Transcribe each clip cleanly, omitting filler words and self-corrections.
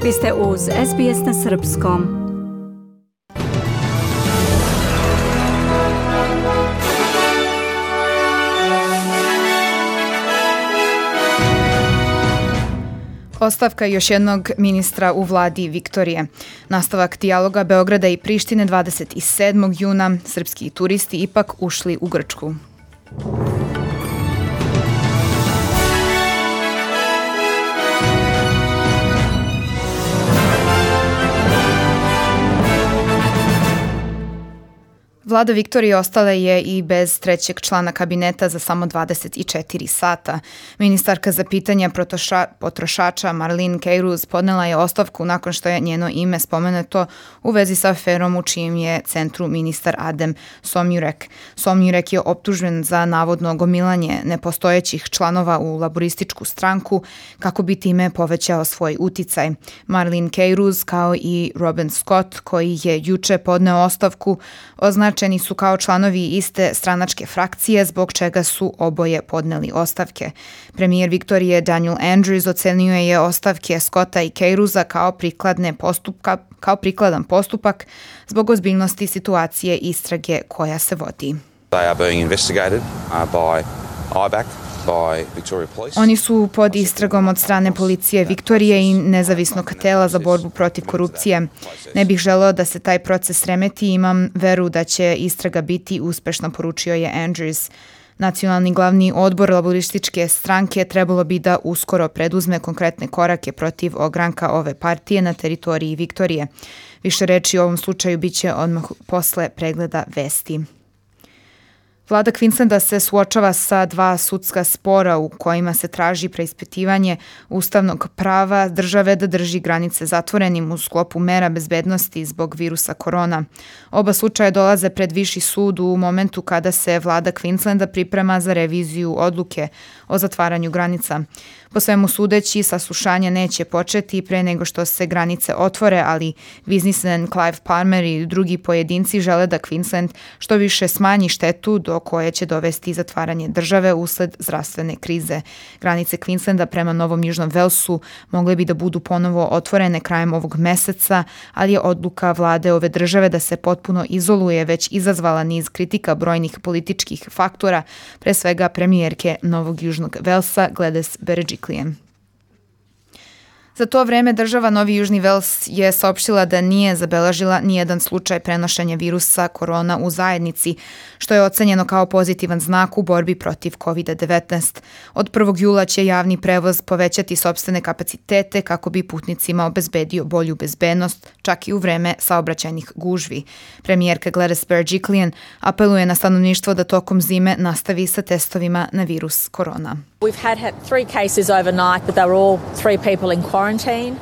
Vi ste uz SBS na srpskom. Ostavka još jednog ministra u vladi Viktorije. Nastavak dijaloga Beograda i Prištine 27. juna. Srpski turisti ipak ušli u Grčku. Vlada Viktorije ostala je i bez trećeg člana kabineta za samo 24 sata. Ministarka za pitanja potrošača Marlene Keyruos podnela je ostavku nakon što je njeno ime spomenuto u vezi sa aferom u čijem je centru ministar Adem Somyurek. Somyurek je optužen za navodno gomilanje nepostojećih članova u laborističku stranku kako bi time povećao svoj uticaj. Marlene Keyruos kao i Robin Scott, koji je juče podneo ostavku, označeni su kao članovi iste stranačke frakcije, zbog čega su oboje podneli ostavke. Premijer Viktorije Daniel Andrews ocenio je ostavke Scotta i Keyruosa kao prikladan postupak zbog ozbiljnosti situacije istrage koja se vodi. They are being investigated by IBAC. Oni su pod istragom od strane policije Viktorije i nezavisnog tela za borbu protiv korupcije. Ne bih želeo da se taj proces remeti i imam veru da će istraga biti uspešna, poručio je Andrews. Nacionalni glavni odbor laborističke stranke trebalo bi da uskoro preduzme konkretne korake protiv ogranka ove partije na teritoriji Viktorije. Više reči o ovom slučaju biće odmah posle pregleda vesti. Vlada Queenslanda se suočava sa 2 sudska spora u kojima se traži preispitivanje ustavnog prava države da drži granice zatvorenim u sklopu mera bezbednosti zbog virusa korona. Oba slučaja dolaze pred viši sud u momentu kada se vlada Queenslanda priprema za reviziju odluke o zatvaranju granica. Po svemu sudeći, saslušanje neće početi pre nego što se granice otvore, ali biznismen Clive Palmer i drugi pojedinci žele da Queensland što više smanji štetu do koje će dovesti zatvaranje države usled zdravstvene krize. Granice Queenslanda prema Novom Južnom Velsu mogle bi da budu ponovo otvorene krajem ovog meseca, ali je odluka vlade ove države da se potpuno izoluje već izazvala niz kritika brojnih političkih faktora, pre svega premijerke Novog Južnog Velsa Gladys Berejiklian. Za to vreme država Novi Južni Vels je saopštila da nije zabeležila nijedan slučaj prenošenja virusa korona u zajednici, što je ocenjeno kao pozitivan znak u borbi protiv COVID-19. Od 1. jula će javni prevoz povećati sopstvene kapacitete kako bi putnicima obezbedio bolju bezbednost, čak i u vreme saobraćajnih gužvi. Premijerka Gladys Berejiklian apeluje na stanovništvo da tokom zime nastavi sa testovima na virus korona. We've had 3 cases overnight, but they were all 3 people in quarantine.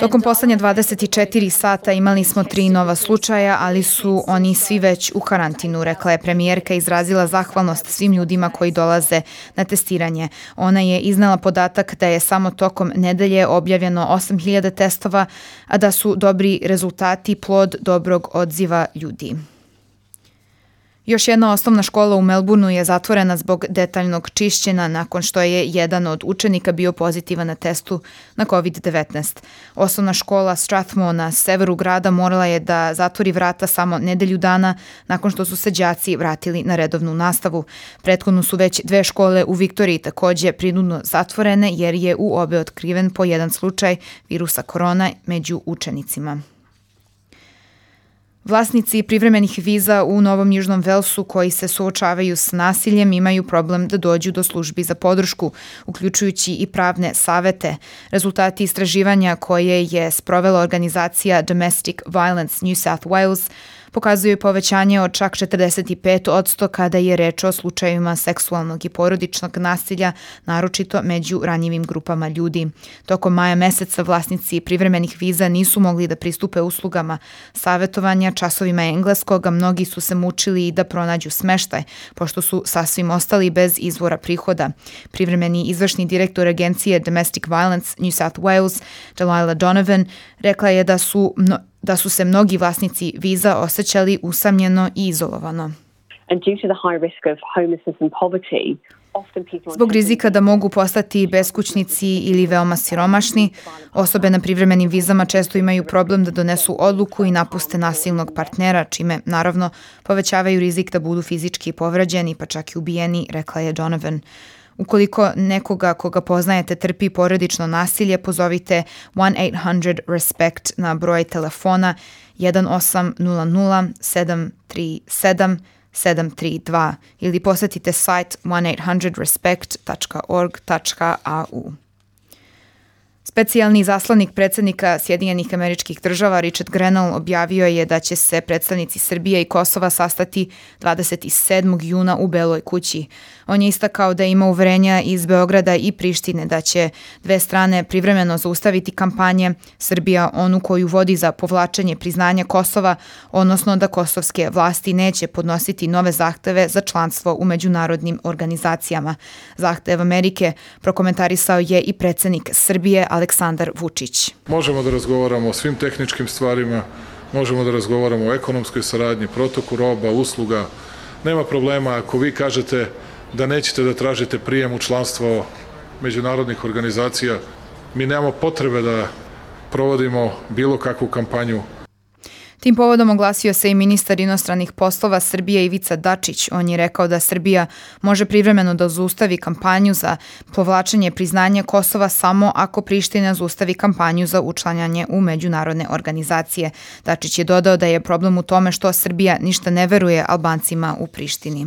Tokom poslednje 24 sata imali smo 3 nova slučaja, ali su oni svi već u karantinu, rekla je premijerka i izrazila zahvalnost svim ljudima koji dolaze na testiranje. Ona je iznela podatak da je samo tokom nedelje objavljeno 8.000 testova, a da su dobri rezultati plod dobrog odziva ljudi. Još jedna osnovna škola u Melbourneu je zatvorena zbog detaljnog čišćenja nakon što je jedan od učenika bio pozitivan na testu na COVID-19. Osnovna škola Strathmore na severu grada morala je da zatvori vrata samo nedelju dana nakon što su se đaci vratili na redovnu nastavu. Prethodno su već 2 škole u Viktoriji takođe prinudno zatvorene jer je u obe otkriven po jedan slučaj virusa korona među učenicima. Vlasnici privremenih viza u Novom Južnom Velsu koji se suočavaju s nasiljem imaju problem da dođu do službi za podršku, uključujući i pravne savete. Rezultati istraživanja koje je sprovela organizacija Domestic Violence New South Wales pokazuju povećanje od čak 45% kada je reč o slučajevima seksualnog i porodičnog nasilja, naročito među ranjivim grupama ljudi. Tokom maja meseca vlasnici privremenih viza nisu mogli da pristupe uslugama savetovanja, časovima engleskog, a mnogi su se mučili i da pronađu smeštaj, pošto su sasvim ostali bez izvora prihoda. Privremeni izvršni direktor agencije Domestic Violence New South Wales, Delilah Donovan, rekla je da su se mnogi vlasnici viza osjećali usamljeno i izolovano. And due to the high risk of homelessness and poverty, Zbog rizika da mogu postati beskućnici ili veoma siromašni, osobe na privremenim vizama često imaju problem da donesu odluku i napuste nasilnog partnera, čime, naravno, povećavaju rizik da budu fizički povređeni, pa čak i ubijeni, rekla je Donovan. Ukoliko nekoga koga poznajete trpi porodično nasilje, pozovite 1-800-RESPECT na broj telefona 1-800-737-732 ili posetite sajt 1-800-respect.org.au. Specijalni zaslanik predsjednika Sjedinjenih Američkih Država Richard Grenell objavio je da će se predstavnici Srbije i Kosova sastati 27. juna u Beloj kući. On je istakao da ima uverenja iz Beograda i Prištine da će dve strane privremeno zaustaviti kampanje, Srbija onu koju vodi za povlačenje priznanja Kosova, odnosno da kosovske vlasti neće podnositi nove zahteve za članstvo u međunarodnim organizacijama. Zahtev Amerike prokomentarisao je i predsjednik Srbije Aleksandar Vučić. Možemo da razgovaramo o svim tehničkim stvarima, možemo da razgovaramo o ekonomskoj saradnji, protoku roba, usluga. Nema problema ako vi kažete da nećete da tražite prijem u članstvo međunarodnih organizacija. Mi nemamo potrebe da provodimo bilo kakvu kampanju. Tim povodom oglasio se i ministar inostranih poslova Srbije Ivica Dačić. On je rekao da Srbija može privremeno da zaustavi kampanju za povlačenje priznanja Kosova samo ako Priština zaustavi kampanju za učlanjanje u međunarodne organizacije. Dačić je dodao da je problem u tome što Srbija ništa ne veruje Albancima u Prištini.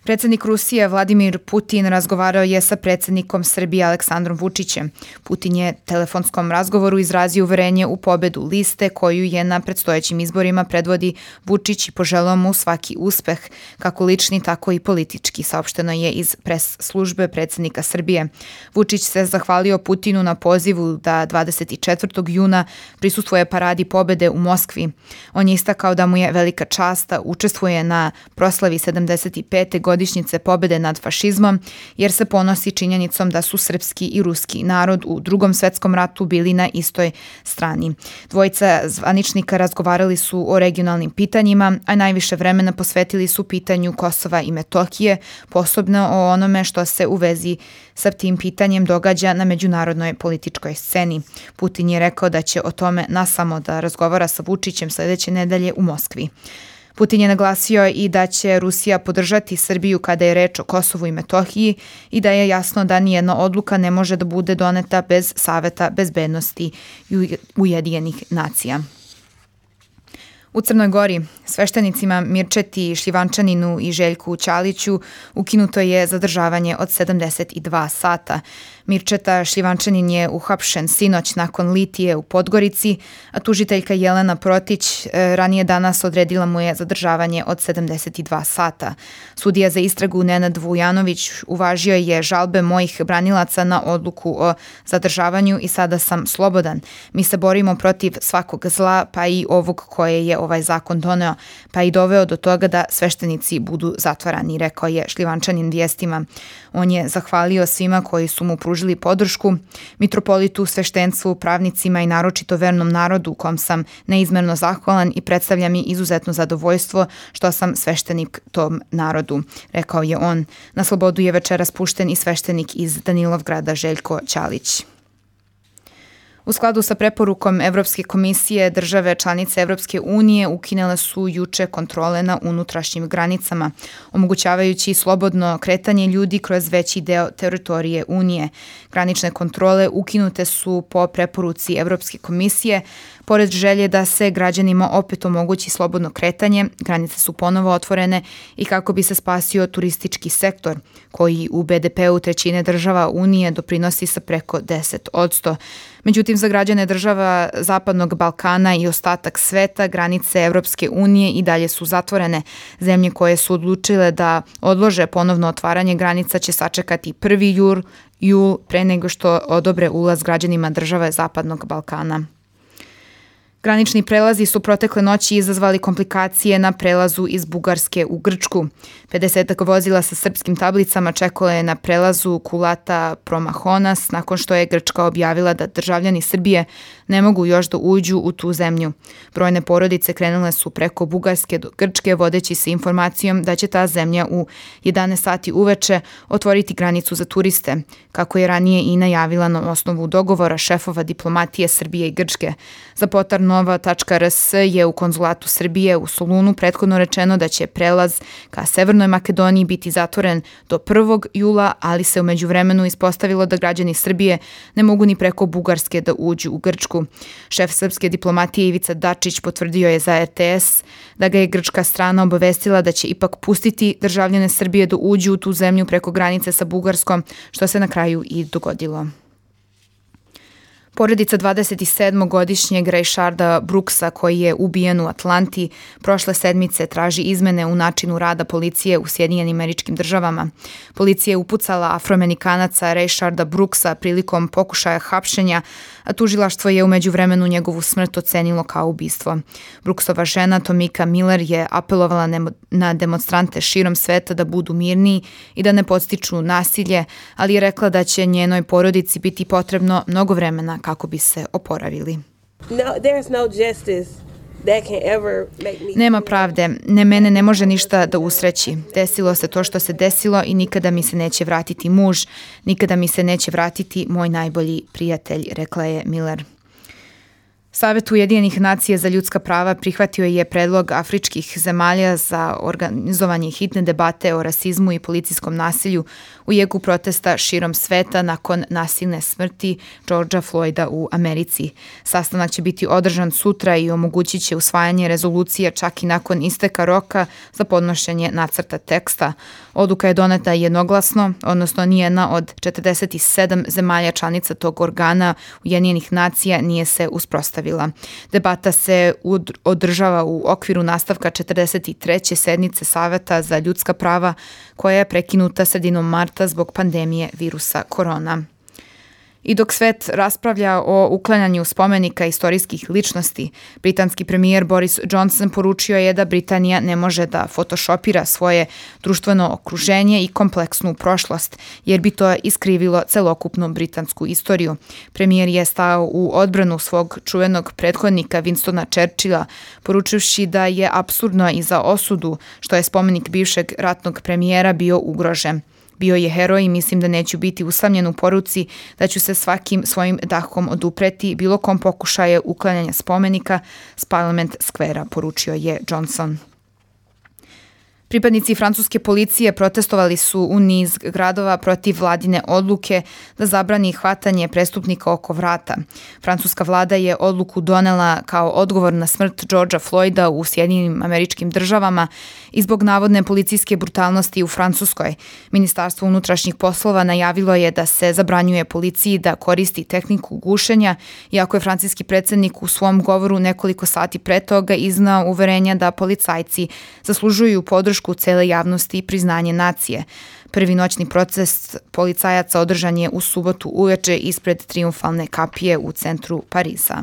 Predsjednik Rusije Vladimir Putin razgovarao je sa predsjednikom Srbije Aleksandrom Vučićem. Putin je telefonskom razgovoru izrazio uverenje u pobedu liste koju je na predstojećim izborima predvodi Vučić i poželeo mu svaki uspeh, kako lični, tako i politički, saopšteno je iz pres službe predsjednika Srbije. Vučić se zahvalio Putinu na pozivu da 24. juna prisustvuje paradi pobede u Moskvi. On je istakao da mu je velika čast da učestvuje na proslavi 75. godišnjice pobede nad fašizmom, jer se ponosi činjenicom da su srpski i ruski narod u Drugom svetskom ratu bili na istoj strani. Dvojica zvaničnika razgovarali su o regionalnim pitanjima, a najviše vremena posvetili su pitanju Kosova i Metohije, posebno o onome što se u vezi sa tim pitanjem događa na međunarodnoj političkoj sceni. Putin je rekao da će o tome nasamo da razgovara sa Vučićem sljedeće nedelje u Moskvi. Putin je naglasio i da će Rusija podržati Srbiju kada je reč o Kosovu i Metohiji i da je jasno da nijedna odluka ne može da bude doneta bez Saveta bezbednosti Ujedinjenih nacija. U Crnoj Gori sveštenicima Mirčeti Šljivančaninu i Željku Ćaliću ukinuto je zadržavanje od 72 sata. Mirčeta Šljivančanin je uhapšen sinoć nakon litije u Podgorici, a tužiteljka Jelena Protić ranije danas odredila mu je zadržavanje od 72 sata. Sudija za istragu Nenad Vujanović uvažio je žalbe mojih branilaca na odluku o zadržavanju i sada sam slobodan. Mi se borimo protiv svakog zla, pa i ovog koje je ovaj zakon doneo, pa i doveo do toga da sveštenici budu zatvarani, rekao je Šljivančanin vijestima. On je zahvalio svima koji su mu pružili podršku, mitropolitu, sveštenstvu, pravnicima i naročito vernom narodu kom sam neizmerno zahvalan i predstavlja mi izuzetno zadovoljstvo što sam sveštenik tom narodu, rekao je on. Na slobodu je večeras pušten i sveštenik iz Danilovgrada Željko Ćalić. U skladu sa preporukom Evropske komisije, države članice Evropske unije ukinule su juče kontrole na unutrašnjim granicama, omogućavajući slobodno kretanje ljudi kroz veći deo teritorije Unije. Granične kontrole ukinute su po preporuci Evropske komisije, pored želje da se građanima opet omogući slobodno kretanje, granice su ponovo otvorene i kako bi se spasio turistički sektor, koji u BDP-u trećine država Unije doprinosi sa preko 10%. Međutim, za građane država Zapadnog Balkana i ostatak sveta granice Evropske unije i dalje su zatvorene. Zemlje koje su odlučile da odlože ponovno otvaranje granica će sačekati 1. jul pre nego što odobre ulaz građanima države Zapadnog Balkana. Granični prelazi su protekle noći izazvali komplikacije na prelazu iz Bugarske u Grčku. 50 vozila sa srpskim tablicama čekalo je na prelazu Kulata Promahonas nakon što je Grčka objavila da državljani Srbije ne mogu još da uđu u tu zemlju. Brojne porodice krenule su preko Bugarske do Grčke vodeći se informacijom da će ta zemlja u 11 sati uveče otvoriti granicu za turiste, kako je ranije i najavila na osnovu dogovora šefova diplomatije Srbije i Grčke. Za potar Nova.rs je u konzulatu Srbije u Solunu prethodno rečeno da će prelaz ka Severnoj Makedoniji biti zatvoren do 1. jula, ali se u međuvremenu ispostavilo da građani Srbije ne mogu ni preko Bugarske da uđu u Grčku. Šef srpske diplomatije Ivica Dačić potvrdio je za RTS da ga je grčka strana obavestila da će ipak pustiti državljane Srbije da uđu u tu zemlju preko granice sa Bugarskom, što se na kraju i dogodilo. Porodica 27-godišnjeg Rayšarda Brooksa, koji je ubijen u Atlanti, prošle sedmice traži izmene u načinu rada policije u Sjedinjenim Američkim Državama. Policija je upucala Afroamerikanaca Rayšarda Brooksa prilikom pokušaja hapšenja, a tužilaštvo je u međuvremenu njegovu smrt ocenilo kao ubistvo. Brooksova žena Tomika Miller je apelovala na demonstrante širom sveta da budu mirniji i da ne podstiču nasilje, ali je rekla da će njenoj porodici biti potrebno mnogo vremena kako bi se oporavili. Nema pravde, mene ne može ništa da usreći. Desilo se to što se desilo i nikada mi se neće vratiti muž, nikada mi se neće vratiti moj najbolji prijatelj, rekla je Miller. Savet Ujedinjenih nacija za ljudska prava prihvatio je predlog afričkih zemalja za organizovanje hitne debate o rasizmu i policijskom nasilju u jeku protesta širom sveta nakon nasilne smrti Georgea Floyda u Americi. Sastanak će biti održan sutra i omogućit će usvajanje rezolucije čak i nakon isteka roka za podnošenje nacrta teksta. Odluka je doneta jednoglasno, odnosno nijedna od 47 zemalja članica tog organa Ujedinjenih nacija nije se uspostavila. Debata se održava u okviru nastavka 43. sednice Saveta za ljudska prava koja je prekinuta sredinom marta zbog pandemije virusa korona. I dok svet raspravlja o uklanjanju spomenika istorijskih ličnosti, britanski premijer Boris Johnson poručio je da Britanija ne može da photoshopira svoje društveno okruženje i kompleksnu prošlost, jer bi to iskrivilo celokupnu britansku istoriju. Premijer je stao u odbranu svog čuvenog prethodnika Winstona Churchilla, poručivši da je apsurdno i za osudu što je spomenik bivšeg ratnog premijera bio ugrožen. Bio je heroj i mislim da neću biti usamljen u poruci da ću se svakim svojim dahom odupreti bilo kom pokušaje uklanjanja spomenika s Parliament Square-a, poručio je Johnson. Pripadnici francuske policije protestovali su u niz gradova protiv vladine odluke da zabrani hvatanje prestupnika oko vrata. Francuska vlada je odluku donela kao odgovor na smrt Georgea Floyda u Sjedinjenim Američkim Državama i zbog navodne policijske brutalnosti u Francuskoj. Ministarstvo unutrašnjih poslova najavilo je da se zabranjuje policiji da koristi tehniku gušenja, iako je francuski predsjednik u svom govoru nekoliko sati pre toga iznao uverenja da policajci zaslužuju podršku cele javnosti i priznanje nacije. Prvi noćni protest policajaca održan je u subotu uveče ispred Triumfalne kapije u centru Pariza.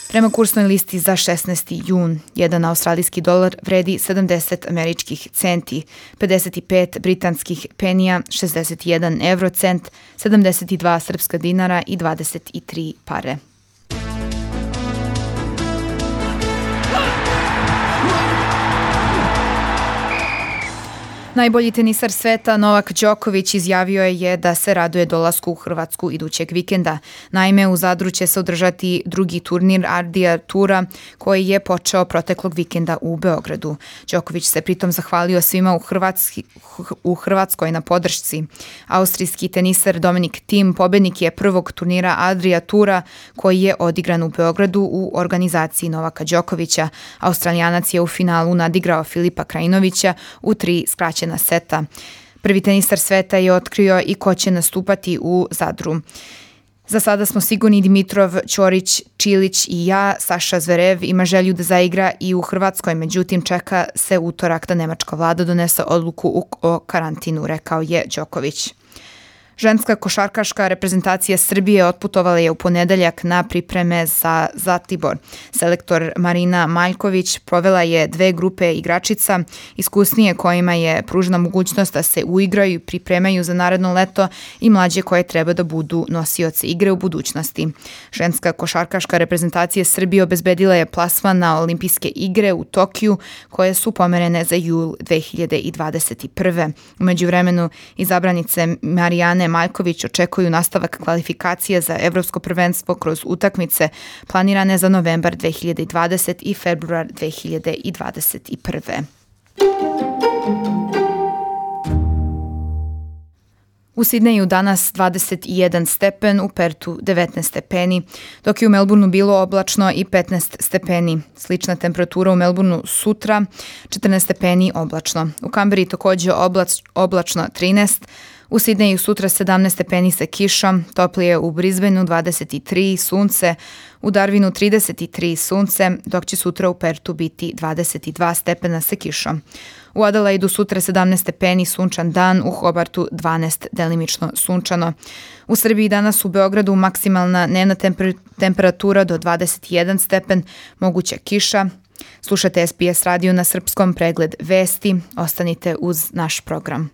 Prema kursnoj listi za 16. jun, jedan australijski dolar vredi 70 američkih centi, 55 britanskih penija, 61 eurocent, 72 srpska dinara i 23 pare. Najbolji tenisar sveta Novak Đoković izjavio je da se raduje dolasku u Hrvatsku idućeg vikenda. Naime, u Zadru će se održati drugi turnir Ardija Tura koji je počeo proteklog vikenda u Beogradu. Đoković se pritom zahvalio svima u Hrvatskoj na podršci. Austrijski tenisar Dominik Thiem pobednik je prvog turnira Ardija Tura koji je odigran u Beogradu u organizaciji Novaka Đokovića. Australijanac je u finalu nadigrao Filipa Krajinovića u 3 skraćena seta. Prvi tenisar sveta je otkrio i ko će nastupati u Zadru. Za sada smo sigurni Dimitrov, Ćorić, Čilić i ja. Saša Zverev ima želju da zaigra i u Hrvatskoj, međutim čeka se utorak da nemačka vlada donese odluku o karantinu, rekao je Đoković. Ženska košarkaška reprezentacija Srbije otputovala je u ponedeljak na pripreme za Zlatibor. Selektor Marina Maljković provela je 2 grupe igračica, iskusnije kojima je pružena mogućnost da se uigraju i pripremaju za naredno leto i mlađe koje treba da budu nosioci igre u budućnosti. Ženska košarkaška reprezentacija Srbije obezbedila je plasman na olimpijske igre u Tokiju koje su pomerene za jul 2021. U međuvremenu izabranice Marijane Maljković očekuju nastavak kvalifikacija za evropsko prvenstvo kroz utakmice planirane za novembar 2020 i februar 2021. U Sidneju danas 21 stepen, u Pertu 19 stepeni, dok je u Melbourneu bilo oblačno i 15 stepeni. Slična temperatura u Melbourneu sutra, 14 stepeni oblačno. U Kamberi takođe oblačno 13, u Sidneju sutra 17 stepeni sa kišom, toplije u Brisbaneu 23 sunce, u Darwinu 33 sunce, dok će sutra u Pertu biti 22 stepena sa kišom. U Adelaidu sutra 17 stepeni, sunčan dan, u Hobartu 12 delimično sunčano. U Srbiji danas u Beogradu maksimalna dnevna temperatura do 21 stepen, moguća kiša. Slušate SBS radio na srpskom, pregled vesti. Ostanite uz naš program.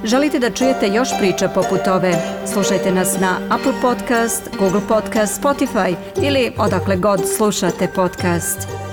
Želite da čujete još priča poput ove? Slušajte nas na Apple Podcast, Google Podcast, Spotify ili odakle god slušate podcast.